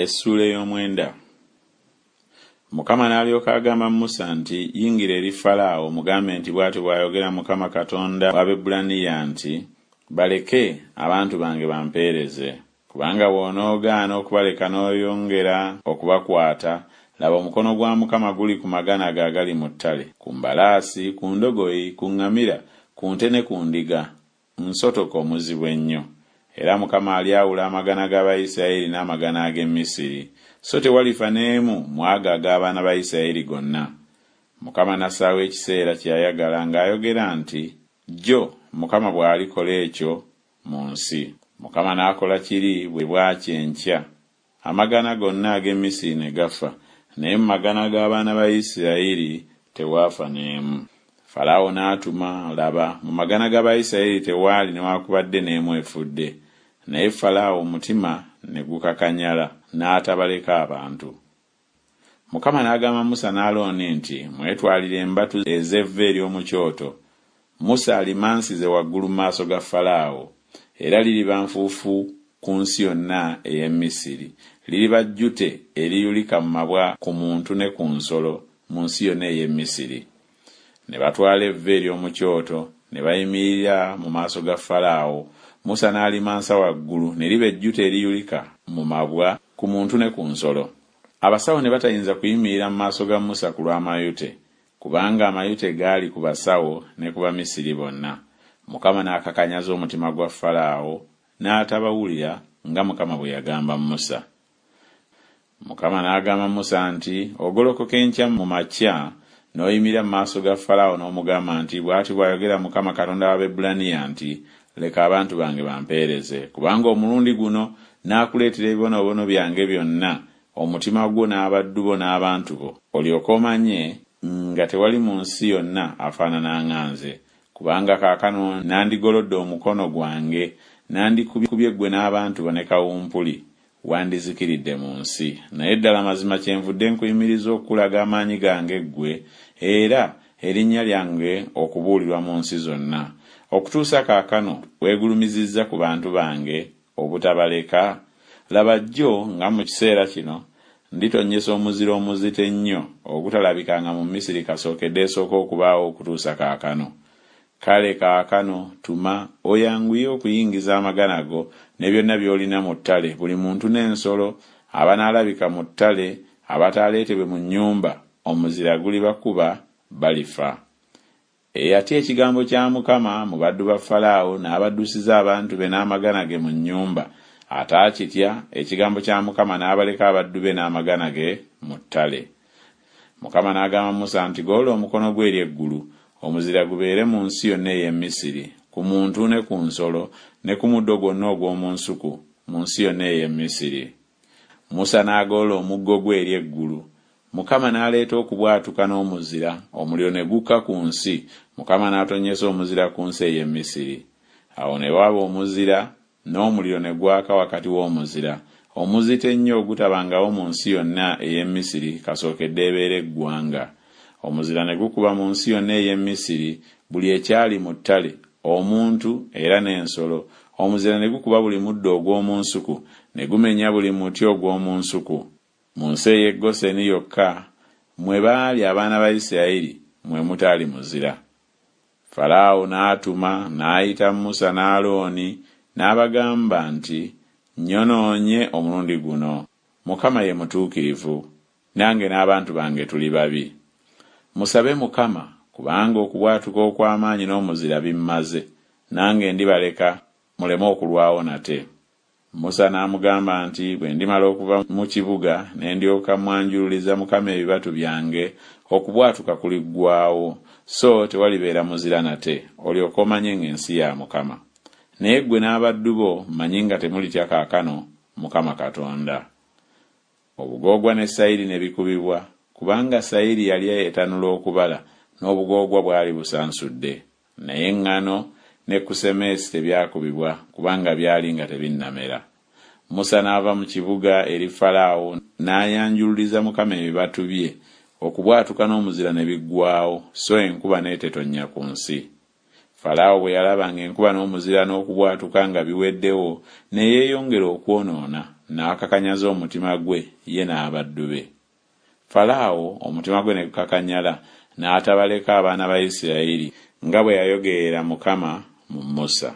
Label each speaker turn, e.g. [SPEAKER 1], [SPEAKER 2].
[SPEAKER 1] Essuula ey'omwenda. Mukama n'alyoka agamba Musa nti, Yingira eri Falaawo omugambe nti bw'atyo bw'ayogera Mukama Katonda w'Abaebbulaniya nti, Baleke, abantu bange bampeereze. Kubanga bw'onoogaana okubaleka n'oyongera okubakwata, laba omukono gwa Mukama guli ku magana go agali mu ttale, ku mbalaasi, ku ndogoyi, ku ŋŋamira, ku nte ne ku ndiga, nsotoka omuzibu ennyo. Era Mukama alyawula amagana g'Abayisirayeli n'amagana ag'e Misiri, so tewalifa n'emu mu ago ag'abaana ba Isirayeli gonna. Mukama n'assaawo ekiseera kye yayagala ng'ayogera nti Jjo Mukama bw'alikola ekyo mu nsi. Mukama n'akola kiri bwe bwakya enkya, amagana gonna ag'e Misiri ne gafa, naye mu magana g'abaana ba Isirayiri tewaafa n'emu. Falaawo n'atuma, laba, mu magana g'Abayisirayiri tewaali newakubadde n'emu efudde. Naye Falaawo omutima ne gukakanyala, n'atabaleka abantu. Mukama n'agamba Musa ne Alooni nti, Mwetwalire embatu ez'evvu ery'omu kyoto, Musa alimansize waggulu mu maaso ga Falaawo, era liriba nfuufu ku nsi yonna ey'e Misiri, liriba jjute eriyulika mu mabwa ku muntu ne ku nsolo mu nsi yonna ey'e Misiri. Ne batwala evvu ery'omu kyoto, ne bayimirira mu maaso ga Falaawo, Musa n'alimansa waggulu, ne liba ejjute eriyulika mu mabwa ku muntu ne ku nsolo. Abasawo ne batayinza kuyimirira mu maaso ga Musa ku lw'amayute, kubanga amayute gaali ku basawo ne ku Bamisiri bonna. Mukama n'akakanyaza omutima gwa Falaawo, n'atabawulira nga Mukama bwe yagamba Musa. Mukama n'agamba Musa nti, Ogolokoka enkya mu makya, n'oyimirira mu maaso ga Falaawo n'omugamba nti, Bw'ati bw'ayogera Mukama Katonda w'Abaebbulaniya nti, Leka abantu bange bampeereze, kubanga omulundi guno naakuleetera ebibonoobono byange byonna, omutima gwo n'abaddu bo n'abantu bo, olyoke omanye nga tewali mu nsi yonna afaanana nga nze. Kubanga kaakano nandigolodde omukono gwange, nandikubye ggwe n'abantu bo ne kawumpuli, wandizikiridde mu nsi. Naye ddala mazima kyenvudde nkuyimiriza okukulaga amaanyi gange ggwe, era erinnya lyange okubuulirwa mu nsi zonna. Okutuusa kaakano weegulumizizza ku bantu bange obutabaleka? Laba, jjo nga mu kiseera kino nditonnyesa omuzira omuzito ennyo ogutalabikanga mu Misiri kasookedde esooka okubaawo okutuusa kaakano. Kale kaakano tuma, oyanguye okuyingiza amagana go ne byonna by'olina mu ttale, buli muntu n'ensolo, abanaalabika mu ttale abataaleetebwe mu nnyumba, omuzira gulibakuba, balifa. Eyatya ekigambo kya Mukama mu baddu ba Falaawo n'abaddusiza abantu be n'amagana ge mu nnyumba, ataakitya ekigambo kya Mukama n'abaleka abaddu be n'amagana ge mu ttale. Mukama n'agamba Musa nti, Golola omukono gwo eri eggulu, omuzira gubeere mu nsi yonna ey'e Misiri, ku muntu ne ku nsolo, ne ku muddo gwonna ogw'omu nsuku, mu nsi yonna ey'e Misiri. Musa n'agolola omuggo gwe eri eggulu, Mukama n'aleeta okubwatuka n'omuzira, omuliro ne gukka ku nsi, Mukama n'atonnyesa omuzira ku nsi ey'e Misiri. Awo ne waba omuzira, n'omuliro ne gwaka wakati w'omuzira, omuzito ennyo ogutabangawo mu nsi yonna ey'e Misiri kasookedde ebeera eggwanga. Omuzira ne gukuba mu nsi yonna ey'e Misiri, buli ekyali mu ttale, omuntu era n'ensolo, omuzira ne gukuba buli muddo ogw'omu nsuku, ne gumenya buli muti ogw'omu nsuku. Mu nsi ey'e Goseni yokka, mwe baali abaana ba Isirayiri, mwe mutaali muzira. Falaawo n'atuma n'ayita Musa ne Alooni, n'abagamba nti, Nnyonoonye omulundi guno. Mukama ye mutuukirivu, nange n'abantu bange tuli babi. Musabe Mukama, kubanga okubwatuka okw'amaanyi n'omuzira bimmaze, nange ndibaleka, muleme okulwawo nate. Musa n'amugamba nti, Bwe ndimala okuva mu kibuga, ne ndyoka mmwanjululiza Mukama ebibatu byange, okubwatuka kuliggwaawo, so tewalibeera muzira nate, olyoke omanye ng'ensi ya Mukama. Naye ggwe n'abaddu bo mmanyi nga temulitya kaakano Mukama Katonda. Obugoogwa ne sayiri ne bikubibwa, kubanga sayiri yali etanula okubala, n'obugoogwa bwali busansudde. Naye eŋŋano ne kusemeesi tebyakubibwa, kubanga byali nga tebinnamera. Musa n'ava mu kibuga eri Falaawo, n'ayanjululiza Mukama ebibatu bye, okubwatuka n'omuzira ne biggwaawo, so enkuba n'etetonnya ku nsi. Falaawo bwe yalaba ng'enkuba n'omuzira n'okubwatuka nga biweddewo, ne yeeyongera okwonoona, n'akakanyaza omutima gwe ye n'abaddu be. Falaawo omutima gwe ne gukakanyala, n'atabaleka abaana ba Isiraeri, nga bwe yayogerera Mukama mu Musa.